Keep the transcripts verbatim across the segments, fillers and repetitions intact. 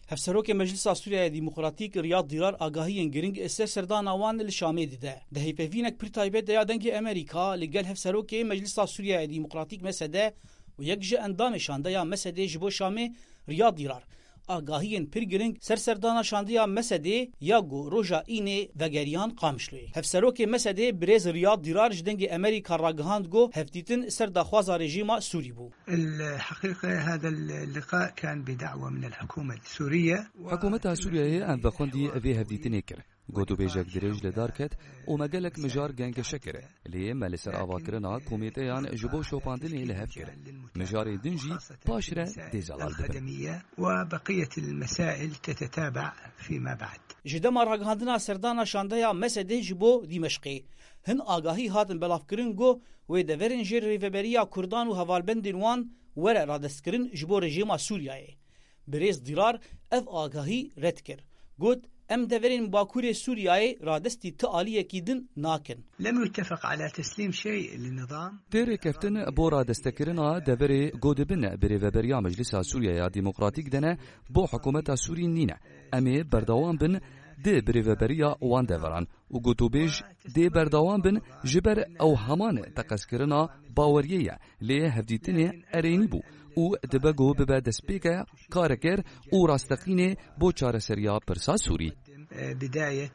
Hevserokê Meclisa Sûriyeyê Demokratîk Riyad Dîrar agahiyên giring ser serdana wan li Şamê dide. Di hevpeyvînek pir taybet de ya Dengê Amerîka li gel Hevserokê Meclisa Sûriyeyê Demokratîk, Mesede, û yek ji endamê şandeya Mesedê ji bo Şamê, Riyad Dîrar, agahiyên pir giring ser serdana şandeya Mesedê ya ku roja Înê vegeriyan Qamişloyê. Hevserokê Mesedê birêz Riyad Dîrar ji Dengê Amerîka ragihand ku hevdîtin ser daxwaza rejîma Sûrî bû. الحقيقة هذا اللقاء كان بدعوة من الحكومة السورية. Hikûmeta Sûriyeyê em vexwendî vê hevdîtinê kir. Gotûbêjek dirêj li dar ket û me gelek mijar gengeşe kir. Lê me li ser avakirina komîteyan ji bo şopandinê li hev kir. Mijarên din jî paş re dê zelal bibin. الخدمية وبقية المسائل تتتابع فيما بعد. Ji dema ragihandina serdana şandeya Mesedê ji bo Dîmeşqê, hin agahî hatin belavkirin ku wê deverên jêr rêveberiya Kurdan û hevalbendên wan were radestkirin ji bo rejîma Sûriyeyê. Birêz Dîrar ev agahî red kir. Got, em deverên Bakurê Sûriyeyê radestî ti aliyekî din nakin. لم يتفق على تسليم شيء للنظام. Tê rêkeftin bo radestekirina deverê ku di bin birêveberiya Meclisa Sûriyeya Demokratîk de ne, bo hikûmeta Sûrî nîne. Em ê berdewam bin di birêveberiya wan deveran û gotûbêj dê berdewam bin, ji ber ew heman teqezkirina baweriyê ye, lê hevdîtinê erênî bû û dibe ku bibe destpêke karekêr û rasteqînê bo çareseriya pirsa Sûrî. بداية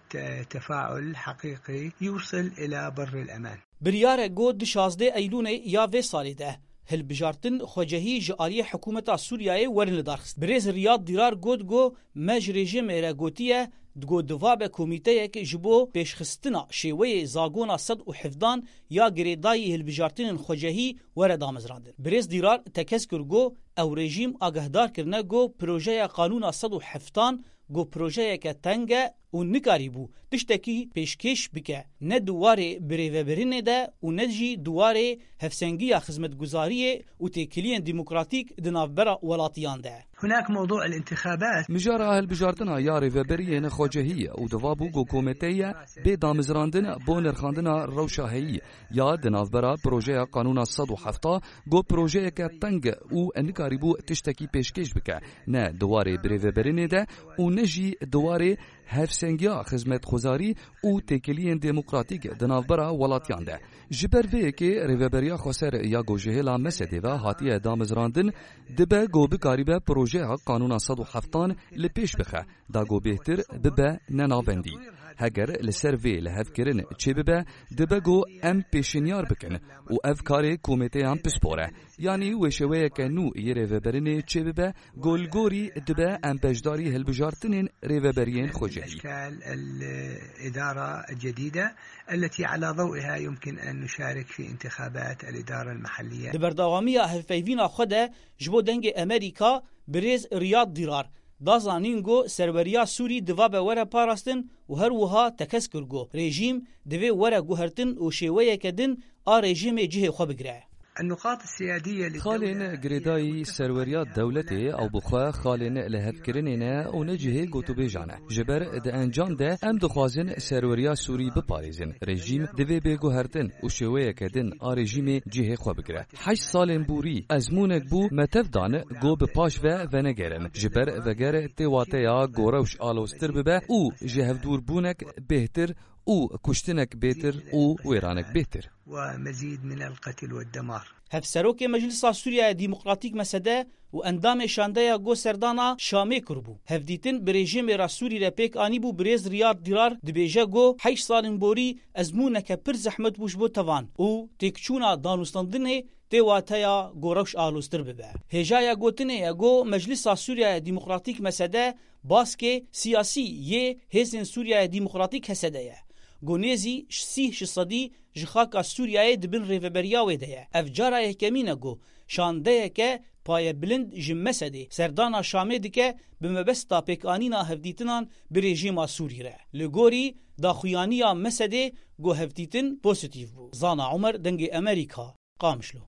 تفاعل حقيقي يوصل إلى بر الأمان. Biryar e ku di şazdeh Eylûnê ya vê salê de hilbijartin xwecehî ji aliyê hikûmeta Sûriyeyê werin lidarxist. Birêz Riyad Dîrar got ku me ji rejîmê re gotiye, ku divabe komîteyek ji bo pêşxistina şêweyê zagona sed û hevdan ya girêdayî hilbijartinên xwecehî were damezrandin. Birêz Dîrar tekez kir ku ew rejîm agahdar kirine ku projeya qanûna sed û heftan ku projeyeke teng e û nikarîbû tiştekî pêşkêş bike, ne di warê birêvebirinê de û ne jî di warê hevsengiya xizmetguzariyê û têkiliyên demokratîk di navbera welatiyan de. هناك موضوع الانتخابات. Mijara hilbijartina ya rêveberiyên xwecehî ye û diva bû ku komîteya bê damezrandin bo nirxandina rewşa heyî ya di navbera projeya qanûna sed û hefta, ku projeyeke teng û nikarîbû tiştekî pêşkêş bike, ne di warê birêveberinê de û ne jî di warê hevsengiya xizmetxwezarî û têkiliyên demokratîk di navbera welatiyan de. Ji ber vê yekê rêveberiya xweser ya ku ji hêla Mesedê ve hatiye damezrandin, dibe ku bikaribe projeya qanûna sed û heftan li pêş bixe, da ku bêhtir bibe nenavendî. Heger li ser vê lihevkirin çêbibe, dibe ku em pêşinyar bikin û ev karê komîteyan pispor e. Yanî wê şêweyeke nû yê rêveberinê çêbibe, ku li gorî dibe em beşdarî hilbijartinên rêveberiyên xwecehî. أشكال الإدارة الجديدة التي على ضوئها يمكن أن نشارك في انتخابات الإدارة المحلية. Di berdewamiya hevpeyvîna xwe de ji bo Dengê Amerîka, birêz Riyad Dîrar da zanîn ku serweriya Sûrî divabe were parastin û her wiha tekez kir ku rejîm divê were guhertin û şêweyeke din a rejîmê cihê xwe bigire. النقاط السيادية للدولة Xalên girêdayî serweriya dewletê ew bi xwe xalên lihevkirinê ne û ne cihê gotûbêjan e. Ji ber di encam de em dixwazin serweriya Sûrî biparêzin. Rejîm divê bê guhertin û şêweyeke din a rejîmê cihê xwe bigire. Heşt salên borî ezmûnek bû me tev dan ku bi paş ve venegerin. Ji ber veger tê wateya ku rewş aloztir bibe û ji hevdûrbûnek bêhtir û kuştinek bêhtir û wêranek bêhtir. ومزيد من القتل والدمار. Hevserokê Meclisa Sûriyeyê Demokratîk, Mesede, û endamê şandeya ku serdana Şamê kiribû, hevdîtin bi rejîmê re Sûrî re pêk anîbû, birêz Riyad Dîrar dibêje ku heşt salên borî ezmûneke pir zehmet bû ji bo tevan û têkçûna danûstandinê tê wateya ku rewş aloztir bibe. Hêjaya gotinê ye ku Meclisa Sûriyeyê Demokratîk, Mesede, baskê siyasî yê Hêzên Sûriyeyê Demokratîk, H S D, ye. Ku nêzî sî ji sedî ji xaka Sûriyeyê di bin rêveberiya wê de ye. Ev cara yekemîn e ku şandeyeke payebilind ji Mesedê serdana Şamê dike bi mebesta pêkanîna hevdîtinan bi rejîma Sûrî re. Li gorî daxuyaniya Mesedê ku hevdîtin pozîtîf bû. Zana Omer, Dengê Amerîka, Qamişlo.